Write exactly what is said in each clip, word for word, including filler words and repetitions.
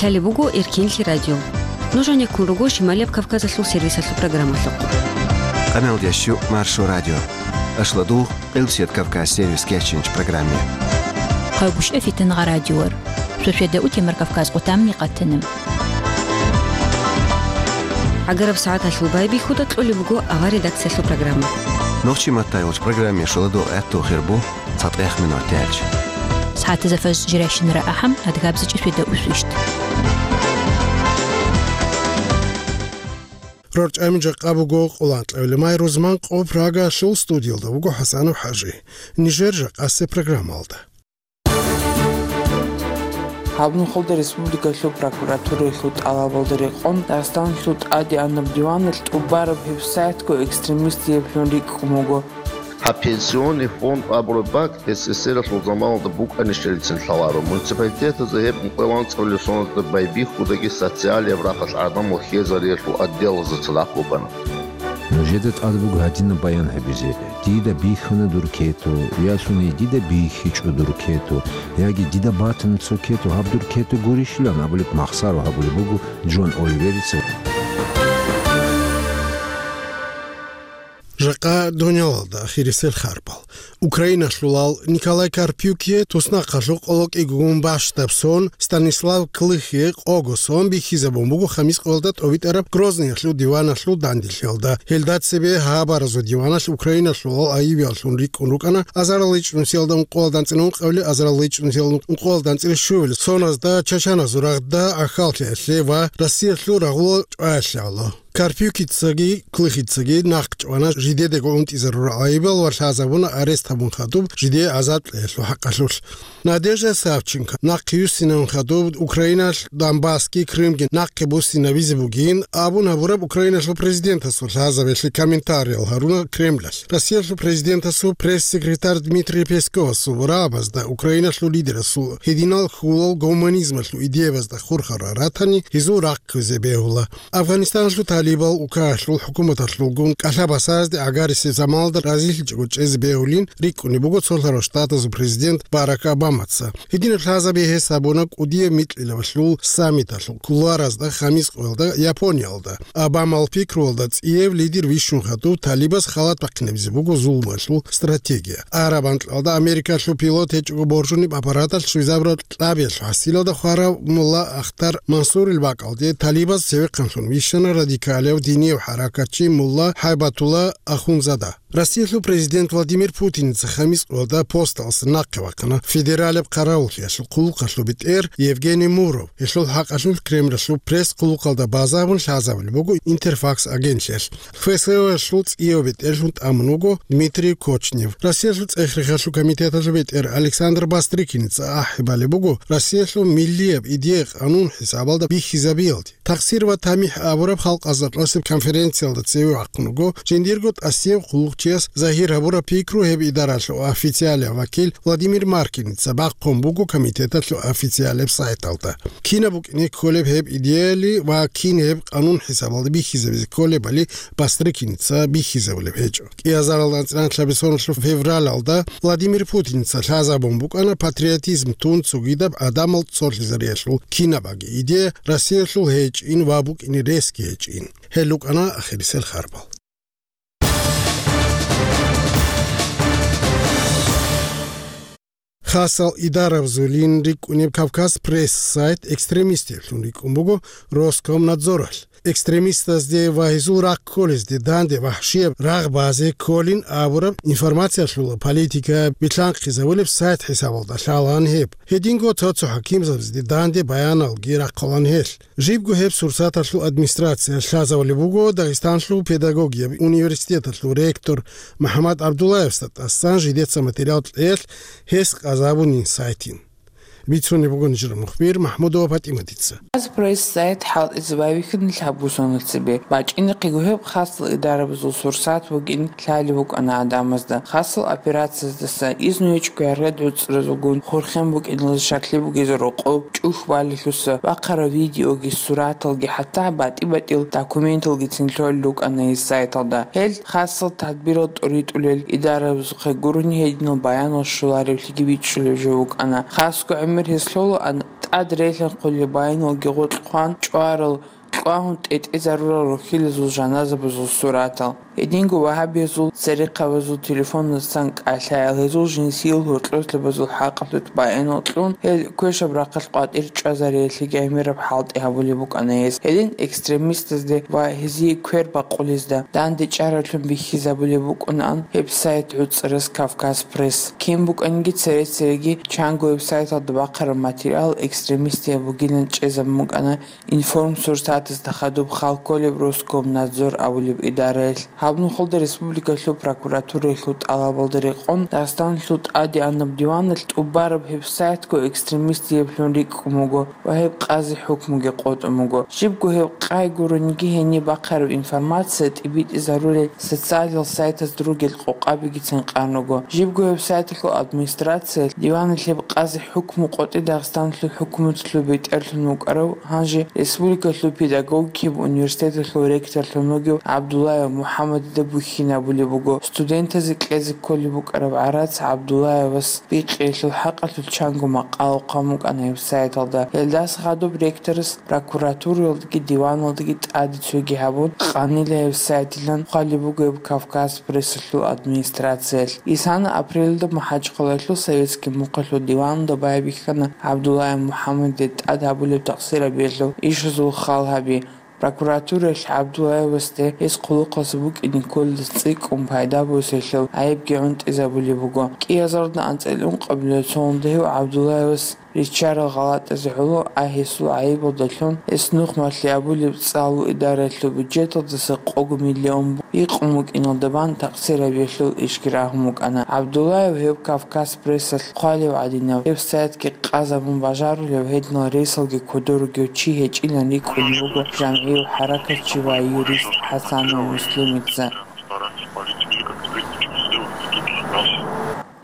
Лъалеб буго Эркенлъи радио. Нуж гьанеккун руго Шималияб Кавказалъул сервисалъул программалъухъ. Къамел ящу Маршо радио. Ашладу Къилбсият Кавказ сервис кечинч программе. Хъайбушев Фитангъа радиор. Шошеда утемар Кавказ къутамни къатанам. Агараб сагӀаталъул байбихьуда кьолеб буго авар редакциялъул программа. Нохчи маттайгъуч программе шоладо гӀатту хирбу цатӀех минут тяч. СагӀатаза фаз жиращинара ахӀам адгабзичӀи шведа усвищт. РорчӀами жакъа буго къуланкьавилемай рузман къо Прагаялъул студиялда вуго ХӀасанов ХӀажи. Нижер жакъасе программалда. Гьаб нухалда республикалъул прокуратураялъул тӀалабалда рекъон Дагъистаналъул тӀадегӀанаб диваналъ тӀубараб гьеб сайтго экстремистиблъун рикӀкӀун буго. Гьаб пенсионный фонд абураб бакӀ СССР-алъул заманалда букӀанищалицин лъаларо. Муниципалитетазда гьеб ункъоялда анцӀабилеб соналда байбихьудаги социалияб рахъалъ гӀадамал хьезариялъул отделазда цадахъ букӀана. Нужеда тӀад буго гьадинаб баян гьабизе: дида бихьана дур кету, я суней дида бихьичӀо дур кету, яги дида батана цо кету, гьаб дур кету гурищилан абулеб махсаро гьабулеб буго Джон Оливерица. Жакъа дунялалда ахирисел харбал. Украиналъулал Николай Карпюкие туснахъалъув къоло кӀигун бащдаб сон, Станислав Клыхие къого сон бихьизабун буго хамис къоялда тӀовитӀараб Грозныялъул диваналъул данделъиялда. Гьелда цебе гьабаразул диваналъ Украиналъулал айибияллъун рикӀкӀун рукӀана азарал ичӀнусиялда ункъоялда анцӀила ункъавилел, азарал ичӀнусиялда ункъоялда анцӀила щуявилел соназда, чачаназул рагъда, ахьаллъиялъе ва Россиялъул рагъулал чӀваялъе гӀоло. Карпюкицаги Клыхицаги нахъ чӀвана жидедаго унтӀизарурал айибал ва лъазабуна арест гьабун хадуб жидее азад кьеялъул хӀакъалъулъ. Надежда Савченко нахъ юссинавун хадуб Украиналъ Донбассги Крымги нахъе буссинабизе бугин абун гьабураб Украиналъул президентасул лъазабиялъе комментариял гьаруна Кремлалъ. Россиялъул президентасул пресс-секретарь Дмитрий Песковасул рагӀабазда Украиналъул лидерасул гьединал хьулал гуманизмалъул идеябазда хурхарал ратани гьезул рахъ кквезе бегьула. Афганистаналъул талибал укагьалъул хӀукуматалъулгун кӀалъа-басазде гӀагарисеб заманалда разилъичӀого чӀезе бегьулин рикӀкӀунеб буго цолъарал штатазул президент Барак Обамаца. Гьединаб лъазаби гьес гьабуна кӀудияб микьилабалъул саммиталъул кулуаразда хамис къоялда Япониялда. Обамал пикруялда цӀияб лидер вищун хадуб талибаз халат бахъинабизе буго зулмалъул стратегия. Араб анкьалда Америкалъул пилот гьечӀого боржуниб аппараталъ щвезабураб кьабиялъул хӀасилалда хварав мулла Ахтар Мансурил бакӀалде талибаз цевехъанлъун вищана радикалияв динияв хӀаракатчи мулла ХӀайбатулла Ахунзада. Россиялъул президент Владимир Путиница хамис къоялда посталъ нахъе вахъана федералияб хъаравуллъиялъул хъулухъалъул бетӀер Евгений Муров. Гьелъул хӀакъалъулъ Кремлалъул пресс-хъулухъалда базабун лъазабулеб буго Интерфакс агентлъиялъ. ФСО-ялъул цӀияб бетӀерлъун тӀамун вуго Дмитрий Кочнев. Россиялъул цӀех-рехалъул комитеталъул бетӀер Александр Бастрыкиница ахӀи балеб буго Россиялъул миллияб идея къанун хӀисабалда бихьизабиялде. Тахсир ва тамихӀ абураб халкъазда къосеб конференциялда цеве вахъун вуго жиндирго тӀасияб хъулухъчияс загьир гьабураб пикру гьеб идаралъул официалияб вакил Владимир Маркиница бахъун буго комитеталъул официалияб сайталда. Кинаб букӀине кколеб гьеб идеяли ва кин гьеб къанун хӀисабалда бихьизабизе кколебали Бастрыкиница бихьизабулеб гьечӀо. КӀиазаралда анцӀила лъабисоналъул февралалда Владимир Путиница лъазабун букӀана патриотизм тун цогидаб гӀадамал цолъизариялъул кинабаги идея Россиялъул гьечӀин ва букӀине ресги гьечӀин. Гьел рукӀана ахирисел харбал. Хасал идарабазулин рикӀкӀунеб Кавказ Пресс сайт экстремистиблъун рикӀкӀун буго Роскомнадзоралъ. Экстремистазде ва гьезул рахъ кколезде данде вахӀшияб рагъ базе кколин абураб информациялъула политика билълъанхъизабулеб сайт хӀисабалда лъалаан гьеб. Гьединго цо-цо хӀакимзабазде данде баяналги рахъалаан гьелъ. Жибго гьеб сурсаталъул администрация лъазабулеб буго Дагъистанлъул педагогияб университеталъул ректор МухӀаммад ГӀабдуллаевасда тӀасан жидеца материал кьеялъ гьес къазабунин сайтин. Бицунеб буго нижер мухбир МахӀмудова ПатӀиматица. Аз пресс-сайт хӀалтӀизе байбихьана лъабго соналъ цебе. БачӀинехъего гьеб хасал идарабазул сурсат бугин лъалеб букӀана гӀадамазда. Хасал операцияздаса изну гьечӀого яргъи гӀуцӀразулгун хурхен букӀиналда щаклъи бугезе рокъоб, чӀухь балелъуса, бахъараб видеоги, сураталги, хӀатта батӀи-батӀил документалгицин лъолел рукӀана гьес сайталда. Гьел хасал тадбирал тӀуритӀулел идарабазухъе гурони гьединал баянал щолареблъиги бичӀчӀулеб жо букӀана. Хасго гӀемер Гьес лъолаан тӀад релъанхъулел баяналги гъоркь хъван чӀварал, кьвагьун тӀетӀезарурал рохьилазул жаназабазул суратал. Гьединго вагьабиязул церехъабазул телефоназда цан кӀалъаял, гьезул жинсиял гьоркьослъабазул хӀакъалъулъ баянал кьун, гьел квешаб рахъалъ къватӀир чӀвазариялъеги гӀемераб хӀалтӀи гьабулеб букӀана гьез. Гьедин экстремистазде ва гьезие квер бакъулезда дандечӀараблъун бихьизабулеб букӀунаан гьеб сайт гӀуцӀарас Кавказ Пресс. Кин букӀаниги цере-цереги чанго гьеб сайталда бахъараб материал экстремистияб бугилан чӀезабун букӀана Информсурсатазда хадуб хал кколеб Роскомнадзор абулеб идараялъ. Гьаб нухалда республикалъул прокуратураялъул тӀалабалда рекъон Дагъистаналъул тӀадегӀанаб диваналъ тӀубараб гьеб сайтго экстремистиеблъун рикӀкӀун буго ва гьеб къази хӀукмуги къотӀун буго. Жибго гьеб къай гурониги гьениб бахъараб информация тӀибитӀизарулел социалал сайтазда ругел къокъабигицин къан руго. Жибго гьеб сайталъул администрациялъ диваналъ гьеб къази хӀукму къотӀи Дагъистаналъул хӀукуматалъул бетӀерлъун вукӀарав, гьанже республикалъул педагогикияб университеталъул ректорлъун вугев ГӀабдуллаев МухӀаммадида бухьинабулеб буго, студентазе кьезе кколеб букӀараб гӀарац ГӀабдуллаевас бикъиялъул хӀакъалъулъ чанго макъала хъван букӀана гьеб сайталда. Гьелдаса хадуб ректорас прокуратураялдаги диваналдаги тӀаде цоги гьабун, къанила гьеб сайтилан хъвалеб буго гьеб Кавказ Прессалъул администрациялъ. Исана апрелалда МахӀачхъалаялъул Советский мухъалъул диваналда байбихьана ГӀабдуллаев МухӀаммадида тӀад гьабулеб такъсирабиялъул ишазул хал гьаби. Прокуратураялъ ГӀабдуллаевасде гьес хъулухъалъ букӀине кколелдаса цӀикӀкӀун пайда босиялъул гӀайибги гӀунтӀизабулеб буго. КӀиазарда анцӀила ункъабилеб цоялда гьев ГӀабдуллаевас риччарал гъалатӀазе гӀоло, а гьесул гӀайибалдалъун гьес нухмалъи абулеб цӀалул идараялъул бюджеталдаса къого миллион бу-, гьикъун букӀиналда бан такъсирабиялъул ишги рагьун букӀана. ГӀабдуллаев гьев Кавказ Прессалъ хъвалев гӀадинав гьеб сайтги къазабун бажарулев гьединал ресалги кодор ругев чи гьечӀилан рикӀкӀун буго жамгӀияв хӀаракатчи ва юрист ХӀасанов Муслимица.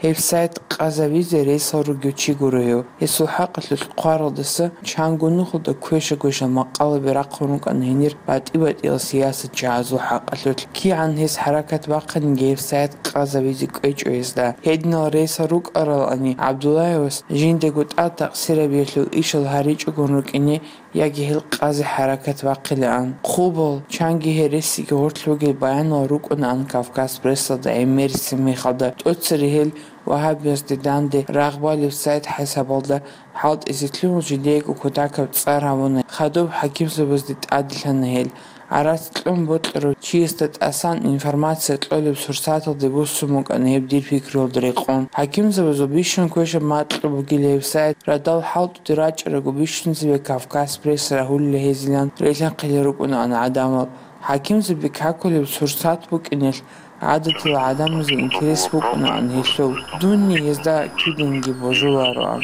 Гьеб сайт къазавизе ресал ругев чи гуро гьев. Гьесул хӀакъалъулъ хъваралдаса чанго нухалда квеша-квешал макъалаби рахъун рукӀана гьенир батӀи-батӀиял сиясатчагӀазул хӀакъалъулъ. КигӀан гьес хӀаракат бахъаниги гьеб сайт къазавизе кӀвечӀо гьезда. Гьединал ресал рукӀаралани ГӀабдуллаевас жиндаго тӀад такъсирабиялъул ишал гьаричӀогун рукӀине яги гьел къазе хӀаракат бахъилаан. Хъубал, чанги гьересиги гъорлъ бугел баянал рукӀунаан Кавказ Прессалда гӀемерисеб мехалда. ТӀоцере гьел вагьабиязде данде рагъ балеб сайт хӀисабалда хӀалтӀизе лъугьун жидеего кутакаб цӀар гьабуна, хадуб хӀакимзабазде тӀаделъана гьел. ГӀарац кьун бокьарав чиясда тӀасан информация кьолеб сурсаталде буссун букӀана гьеб дир пикруялда рекъон. ХӀакимзабазул бищун квешаб макьу бугила гьеб сайт, радал хӀалтӀуде рачӀараго бищунзабе Кавказ Пресс рагьулила гьезилан релъанхъила рукӀунаан гӀадамал. ХӀакимзаби какулеб сурсат букӀиналъ гӀадатила гӀадамазе интерес букӀунаан гьелъул, дунни гьезда киданиги божулароан.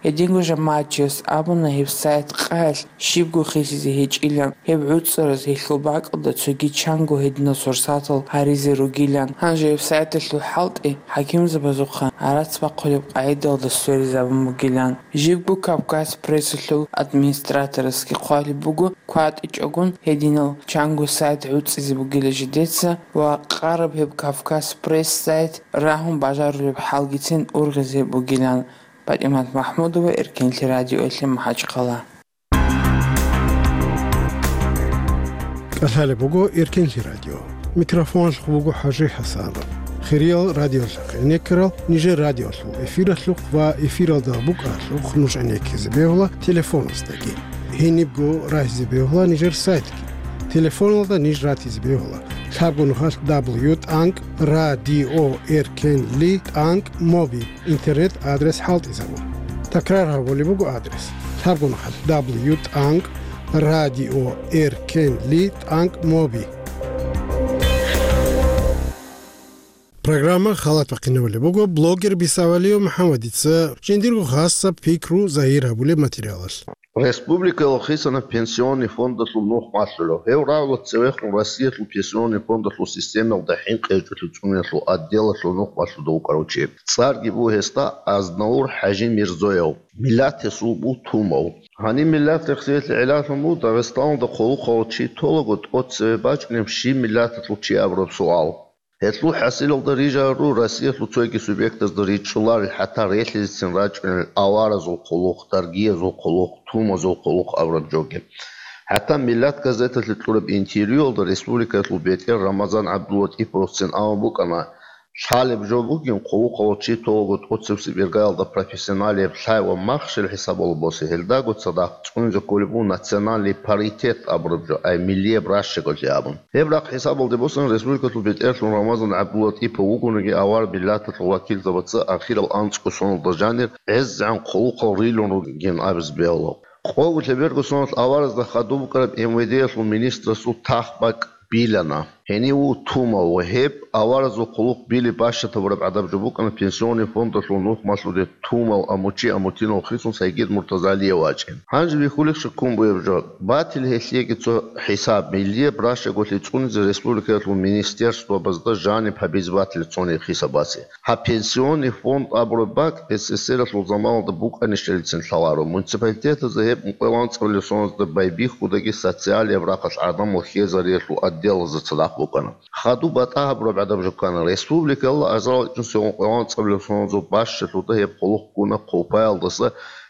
Гьединго жамагӀатчияс абуна гьеб сайт къаялъ щибго хисизе гьечӀилан, гьеб гӀуцӀараз гьелъул бакӀалда цоги чанго гьединал сурсатал гьаризе ругилан. Гьанже гьеб сайталъул хӀалтӀи хӀакимзабазухъа гӀарац бахъулеб къагӀидалда сверизабун бугилан. Жибго Кавказ Прессалъул администраторасги хъвалеб буго, кватӀичӀогун гьединал чанго сайт гӀуцӀизе бугила жидеца ва къараб гьеб Кавказ Пресс сайт рагьун бажарулеб хӀалгицин ургъизе бугилан. ПатӀимат МахӀмудова, Эркенлъи радиоялъе, МахӀачхъала. КӀалъалеб буго Эркенлъи радио. Микрофоналъухъ буго ХӀажи ХӀасанов. Хириял радиолъухъ гӀенеккарал нижер радиолъул эфиралъухъ ва эфиралда букӀаралъухъ нуж гӀенеккизе бегьула телефоназдаги. Гьенибго рагьизе бегьула нижер сайтги. Телефоналда ниж ратизе бегьула: лъабго нухалъ дабл ю тӀанкӀ радио эркенли тӀанкӀ моби интернет адрес хӀалтӀизабун. Такрар гьабулеб буго адрес: лъабго нухалъ дабл ю тӀанкӀ радио эркенли тӀанкӀ моби. Программа халат бахъинабулеб буго блогер Бисавалиев МухӀаммадица жиндирго хасаб пикру загьир гьабулеб материалалъ. Республикаялъ хисанаб пенсионный фондалъул нух малъулев. Гьев рагӀула цевехун Россиялъул пенсионный фондалъул системалда хӀинкъи гьечӀолъи цӀуниялъул отделалъул нух малъуда вукӀарав чи. ЦӀарги буго гьесда Азнаур ХӀажи Мирзоев. Миллат гьесул буго тумав. Гьаниб миллат рехсиялъе гӀелалъун буго Дагъистаналда хъулухъав чи толаго тӀоцеве бачӀунеб щиб миллаталъул чи абураб суал. Гьелъул хӀасилалда рижару Россиялъул цоги субъектазда ричӀчӀуларел, хӀатта релълъизецин рачӀунел аваразул хъулухъ, даргиязул хъулухъ, тумазул хъулухъ абураб жоги. ХӀатта «Миллат» газеталъе кьураб интервьюялда республикаялъул бетӀер Рамазан ГӀабдуллатӀиповцин абун букӀана, лъалеб жо бугин, хъулухъалъул чи толаго тӀоцебесеб иргаялда профессионалияб лъай ва махщел хӀисабалда босе, гьелдаго цадахъ цӀунизе кколеб буго национальный паритет абураб жо, ай миллияб ращаголъи абун. Гьеб рахъ хӀисабалде босун, республикалъул бетӀерлъун Рамазан ГӀабдуллатӀипов вугониги, авар миллаталъул вакилзабаца ахирал анцӀго соналда жанир гӀезегӀан хъулухъал рилун ругин абизе бегьула. Къого лъеберго соналъ аваразда хадуб букӀараб М В Д-ялъул министрасул тахбакӀ билана. Гьенив вуго тумав ва гьеб аваразул хъулухъ билеб бащад гьабураб гӀадаб жо букӀана Пенсионный фондалъул нухмалъуде тумав Амучи Амутинов хисун Сайгид Муртазалиев вачӀин. Гьанже бихьулищха ккун бугеб жо? Батила гьелъиеги цо хӀисаб, миллияб ращаголъи цӀунизе республикаялъул министерствабазда жаниб гьабизе батила цониги хисабасе. Гьаб Пенсионный фонд абураб бакӀ С С С Р-алъул заманалда букӀанищалицин лъаларо, муниципалитетазда гьеб ункъоялда анцӀабилеб соналда байбихьудаги социалияб рахъалъ гӀадамал хьезариялъул отделазда цадахъ букӀана. Хадуб батӀа гьабураб гӀадаб жо ккана, республикалда азарал ичӀнусиялда ункъоялда анцӀабилеб соналда бащалъуда гьеб хъулухъ ккуна Хъулпаялдаса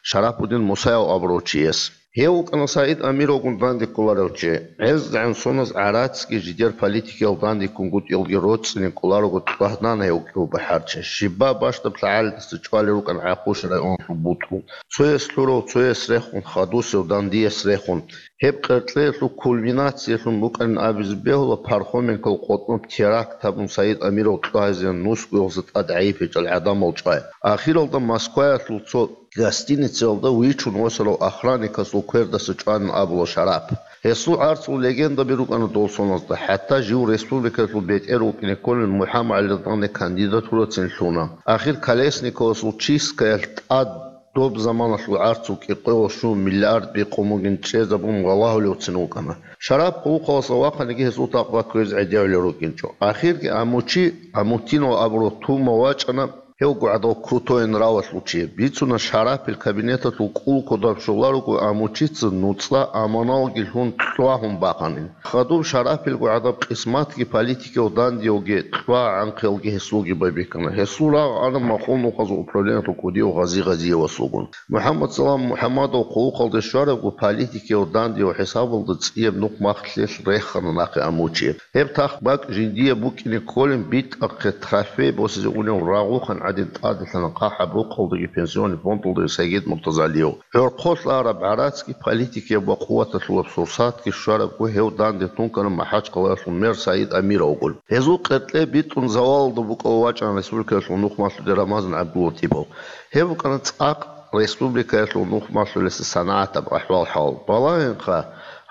Шарапудин Мусаев абурав чияс. Гьев вукӀана СагӀид Амировгун данде кколарев чи. ГӀезегӀан соназ гӀарацги жидер политикиял данде ккунгутӀиялги роцӀцӀине кколарого тӀагӀана гьев кӀиго бахӀарчи. Щибаб бащдаб лъагӀалидаса чӀвалел рукӀана ГӀахъуш районалъул бутӀрул. Цояс лъурав, цояс рехун, хадусев, дандияс рехун. Гьеб къеркьеялъул кульминациялъун букӀанин абизе бегьула Пархоменкол къотӀноб теракт гьабун СагӀид Амиров тӀагӀизе нусгоялдаса тӀад гӀайиб гьечӀел гӀадамал чӀвай. Ахиралда Москваялъул цо гостиницаялда вичун восарав охранникасул квердаса чӀванин абула Шарап. Гьесул гӀарцул легендаби рукӀана дол соназда, хӀатта жив республикаялъул бетӀер вукӀине кколин МухӀаммад ГӀалидалъ кандидатурацин лъуна. Ахир Колесниковасул чисткаялъ тӀад доб заманалъул гӀарцул кӀикъоялда щун миллиард бикъун бугин чӀезабун валагьулевцин вукӀана. Шарап хъулухъалдаса вахъаниги гьесул такъва кквезе гӀедегӀулел рукӀинчӀо. Ахирги Амучи Амутинов абурав тумав вачӀана. Гьев гугӀадав крутой нравалъул чи. Бицуна, Шарапил кабинеталъул кӀул кодаб щоларуго Амучица нуцӀа аманалги лъун кьвагьун бахъанин. Хадуб Шарапил гугӀадаб къисматги политикияв дандиявги кьвагӀанхъиялги гьесулги байбихьана. Гьесул рагъ ана Махъул нухазул управлениялъул кӀудияв Гъази Гъазиевасулгун. МухӀаммадсалам МухӀаммадов хъулухъалде щварабго политикияв дандияв хӀисабалда цӀияб нухмахълъилъ рехана нахъе Амучи. Гьеб тахбакӀ жиндие букӀине кколин битӀахъе трофей босизе унев рагъухъан гӀадин тӀаделъана хъахӀаб рукъалдаги Пенсионный фондалдаги Сайгид Муртазалиев. ГӀорхъолъ араб гӀарацги политикияб ва къуваталъулаб сурсатги щварабго гьев данде тункана МахӀачхъалаялъул мэр Саид Амировгун. Гьезул къеркье битӀун завалалда букӀав вачӀана республикаялъул нухмалъуде Рамазан ГӀабдуллатипов. Гьеб букӀана цӀакъ республикаялъул нухмалъулеса санагӀатаб ахӀвал-хӀал. Балагьинха,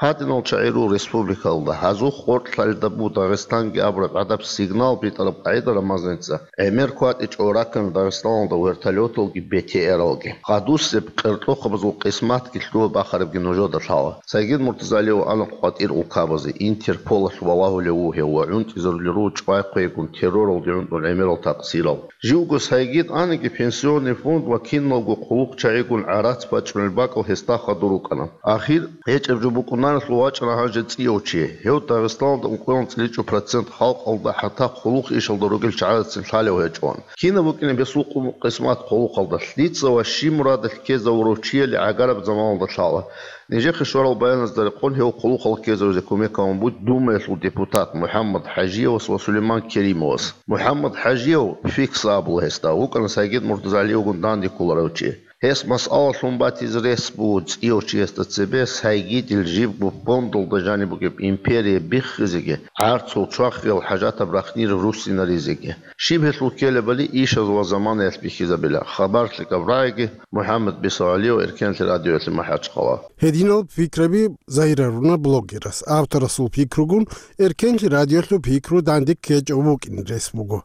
гьадинал чагӀи руго республикалда, гьазухъ гъоркьлъалда буго Дагъистанги абураб гӀадаб сигнал битӀараб къагӀида Рамазаница гӀемер кватӀичӀого раккана Дагъистаналда вертолеталги Б Т Р-алги. Хадусеб къеркьохъабазул къисматги лъугьа-бахарабги нужеда лъала. Сайгид Муртазалиев ана къватӀир улкабазе, Интерполалъ валагьулев вугев ва гӀунтӀизарулел руго чӀвай-хъвейгун терроралде гӀунтӀун гӀемерал такъсирал. Живго Сайгид аниги, Пенсионный фонд ва киналго хъулухъчагӀигун гӀарац бачӀунел бакӀал гьесда хадур рукӀана. Ахир гьечӀеб жо букӀунариялъул вачӀана гьанже цӀияв чи. Гьев Дагъистаналда ункъоялда анцӀила чӀу процент халкъалда, хӀатта хъулухъ ишалда ругел чагӀазацин лъалев гьечӀо. Кинаб букӀинеб гьесул къу-, къисмат хъулухъалда? Лъица ва щиб мурадалъ ккезавурав чияли гӀагараб заманалда лъала. Нижехъе щварал баяназда рекъон гьев хъулухъалъ ккезаризе кумек гьабун буго Думаялъул депутат МухӀаммад ХӀажиевас ва Сулейман Керимовас. МухӀаммад ХӀажиев, Фикса абула гьесда, вукӀана Сайгид Муртазалиевгун данде кколарев чи. Гьес масъала лъун батизе рес буго цӀияв чиясда цебе Сайгидил живго фондалда жаниб бугеб империя биххизеги, гӀарцул чвахиял хӀажатаб рахънир руссинаризеги. Щиб гьелъул ккелебали ишаз ва заманаялъ бихьизабила. Хабар лъикӀаб рагӀиги, МухӀаммад Бисагьалиев, Эркенлъи радиоялъе МахӀачхъала. Гьединал пикраби загьирлъуна блогерас. Авторасул пикругун Эркенлъи радиоялъул пикру данде ккечӀев вукӀин рес буго.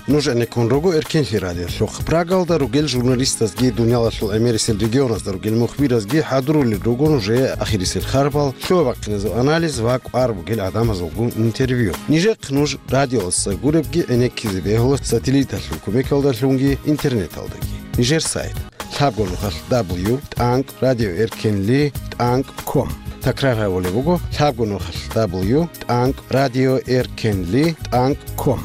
Нуж гӀенеккун руго Эркенлъи радиолъухъ. Прагалда ругел журналистазги, дуниялалъул гӀемерисел регионазда ругел мухбиразги хӀадурулел руго нужее ахирисел харбал, лъугьа-бахъиназул анализ ва кӀвар бугел гӀадамазулгун интервью. Нижехъ нуж радиоялдаса гуребги гӀенеккизе бегьула сателлиталъул кумекалдалъунги интернеталдаги. Нижер сайт. лъабго нухалъ дабл ю тӀанкӀ радиоэркенли тӀанкӀ ком. Такрар гьабулеб буго: лъабго нухалъ дабл ю тӀанкӀ радиоэркенли тӀанкӀ ком.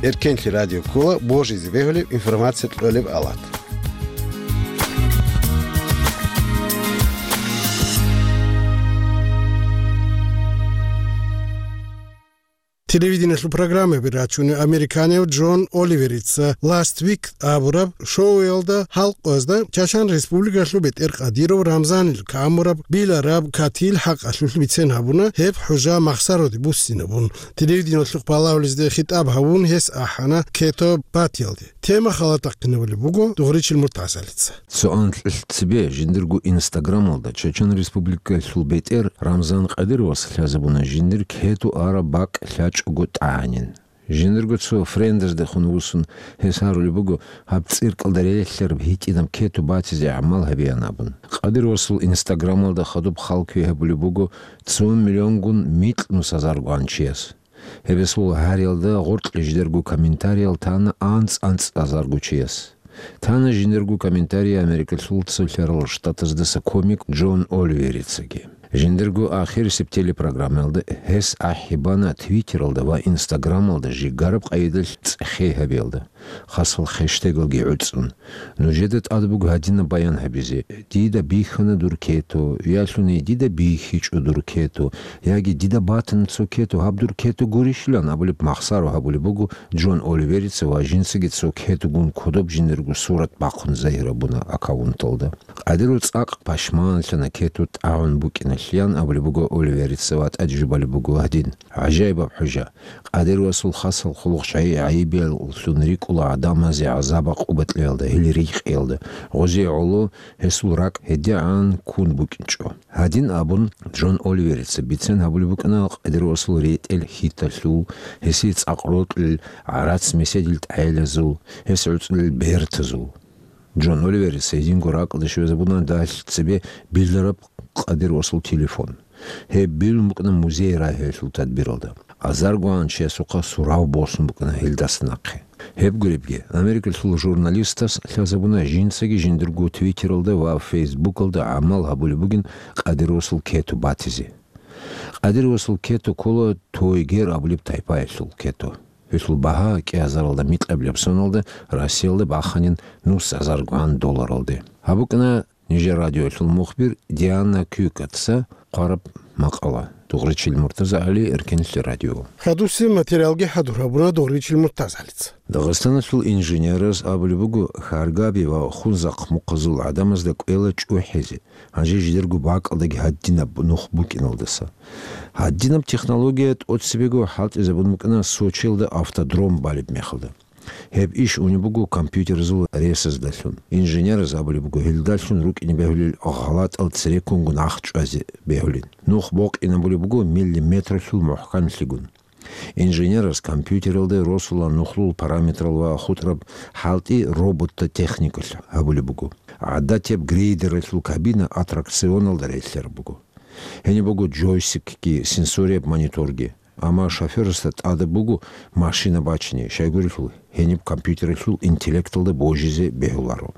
Эркенлъи радио ккола божизе бегьулеб информация кьолеб алат. Телевидениялъул программаби рачунев американияв Джон Оливерица Last Week абураб шоуялда халкъазда Чачан Республикалъул бетӀер Къадиров Рамзанил камураб билараб катил хӀакъалъулъ бицен гьабуна, гьеб хӀужа Махсароде буссинабун. Телевидениялъухъ балагьулезде хитӀаб гьавун гьес ахӀана Кето батиялде. Тема халатахъинабулеб буго Дугъричил Муртазалица. Цо анкьилъ цебе жиндирго Инстаграмалда Чачан Республикалъул бетӀер Рамзан Къадировас лъазабуна жиндир кету араб бакӀ лъачӀого тӀагӀанин. Жиндирго цо френдездехун вуссун гьес гьарулеб буго, гьаб цӀиркӀалда релълъараб гьитӀинаб кету батизе гӀамал гьабеян абун. Къадировасул Инстаграмалда хадуб хал квегьабулеб буго цо миллионгун микь нусазаргоан чияс. Гьеб гьесул гьариялда гъоркье жидерго комментариял тана анцӀ-анцӀазарго чияс. Тана жиндирго комментарий Америкалъул Цолъарал Штатаздаса комик Джон Оливерицаги. Жиндирго ахирисеб телепрограммаялда гьес ахӀи бана Твиттералда ва Инстаграмалда жигараб къайдалъ цӀехей гьабиялда, хасал хештегалги гӀуцӀун. Нужеда тӀад буго гьадинаб баян гьабизе: «Дида бихьана дур кету», ялъуни: «Дида бихьичӀо дур кету», яги: «Дида батана цо кету, гьаб дур кету гурищилан», абулеб махсаро гьабулеб буго Джон Оливерица ва жинцаги цо кетугун кодоб жиндирго сурат бахъун загьир гьабуна аккаунталда. Къадиров цӀакъ пашманлъана кету тӀагӀун букӀиналъеян абулеб буго Оливерица ва тӀаде жубалеб буго гьадин: «ГӀажаибаб хӀужа! Къадировасул хасал хъулухъ гӀайибияллъун рикӀкӀула гӀадамазе гӀазаб-гӀакъуба кьеялда, гьел рихкӀиялда. Гъозие гӀоло гьесул ракӀ гьедигӀан ккун букӀинчӀо». Гьадин абун, Джон Оливерица бицен гьабулеб букӀана Къадировасул ретӀел хьиталъул, гьесие цӀакъ рокьулел гӀарац-меседил тӀагӀелазул, гьес гӀуцӀулел бертазул. Джон Оливерица гьединго ракӀалде щвезабуна дагьалъ цебе билараб Къадировасул телефон. Гьеб билун букӀана музей рагьиялъул тадбиралда. Азаргоан чиясухъа сурав босун букӀана гьелдаса нахъе. Гьеб гуребги, Америкалъул журналистас лъазабуна жинцаги жиндирго Твиттералда ва Фейсбукалда гӀамал гьабулеб бугин Къадировасул кету батизе. Къадировасул кету ккола Тойгер абулеб тайпаялъул кету. Гьелъул багьа кӀиазаралда микьабилеб соналда Россиялда баханин нусазаргоан долларалде. Гьаб букӀана нижер радиоялъул мухбир Диана Кюкатца хъвараб макъала. Дугъричил Муртазагьали, Эркенлъи радио. Хадусеб материалги хӀадур гьабуна Дугъричил Муртазагьалица. Дагъистаналъул инженераз абулеб буго, Хьаргаби ва Хунзахъ мухъазул гӀадамазда кӀвела чӀухӀизе, гьанже жидерго бакӀалдаги гьадинаб нух букӀиналдаса. Гьадинаб технология тӀоцебего хӀалтӀизабун букӀана Сочиялда автодром балеб мехалда. Гьеб иш унеб буго компьютерзул ресаздалъун. Инженераз абулеб буго, гьелдалъун рукӀине бегьулел гъалатӀал цереккунго нах чӀвазе бегьулин. Нух бокъинабулеб буго миллиметралъул мухӀканлъигун. Инженерас компьютералда росулан нухлул параметрал ва хутӀраб хӀалтӀи робота техникалъ гьабулеб буго. ГӀадатияб грейдералъул кабина аттракционалда релълъараб буго. Гьениб буго джойстикги, сенсорияб мониторги. Амма шофёрасда тӀадаб буго машина бачине, щайгурелъул гьениб компьютералъул интеллекталда божизе бегьуларо.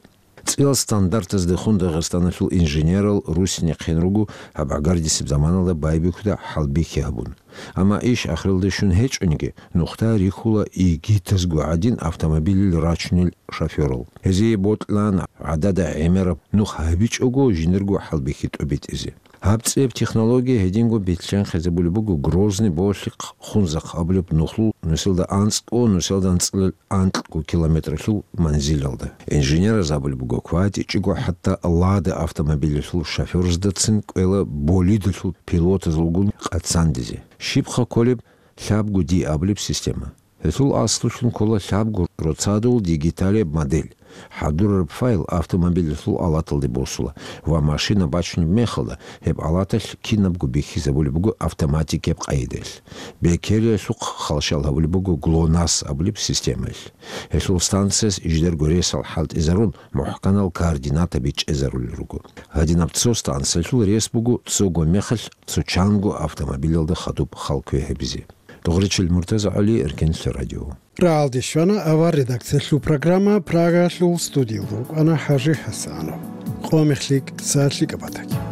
ЦӀиял стандарттаздехун Дагъистаналъул инженерал русинехъин руго гьаб гӀагардисеб заманалда байбихьуда хӀалбихьи гьабун. Амма иш ахиралде щун гьечӀониги, нухда рихьула игитазго гӀадин автомобилил рачунел шофёрал. Гьезие бокьилаан гӀадада гӀемераб нух гьабичӀого жиндирго хӀалбихьи тӀобитӀизе. Гьаб цӀияб технология гьединго бихьанхъизабулеб буго Грозный, Болъихъ, Хунзахъ абулеб нухлул нусилда анцӀго, нусилда анцӀила анкьго километралъул манзилалда. Инженераз абулеб буго, кватӀичӀого хӀатта Лада автомобилялъул шофёрзадацин кӀвела болидалъул пилотазулгун къацандизе. Щибха кколеб лъабго Ди абулеб система? Гьелъул аслулъун ккола лъабго роцадул дигиталияб модель. ХӀадурараб файл автомобилалъул алаталде босула ва машина бачунеб мехалда, гьеб алаталъ кинабго бихьизабулеб буго автоматикияб къайдаялъ. Бекериялъухъ халщал гьабулеб буго ГЛОНАСС абулеб системаялъ. Гьелъул станцияс жидерго ресал хӀалтӀизарун, мухӀканал координатаби чӀезарулел руго. Гьадинаб цо станциялъул рес буго цого мехалъ цо чанго автомобилалда хадуб хал квегьабизе. Дугъричил МуртазагӀали, Эркенлъи радио. Рагьалде щвана авар редакциялъул программа, Прагаялъул студиялда рукӀана ХӀажи ХӀасанов. Къо мехлъи кӀица лъикӀаб батаги.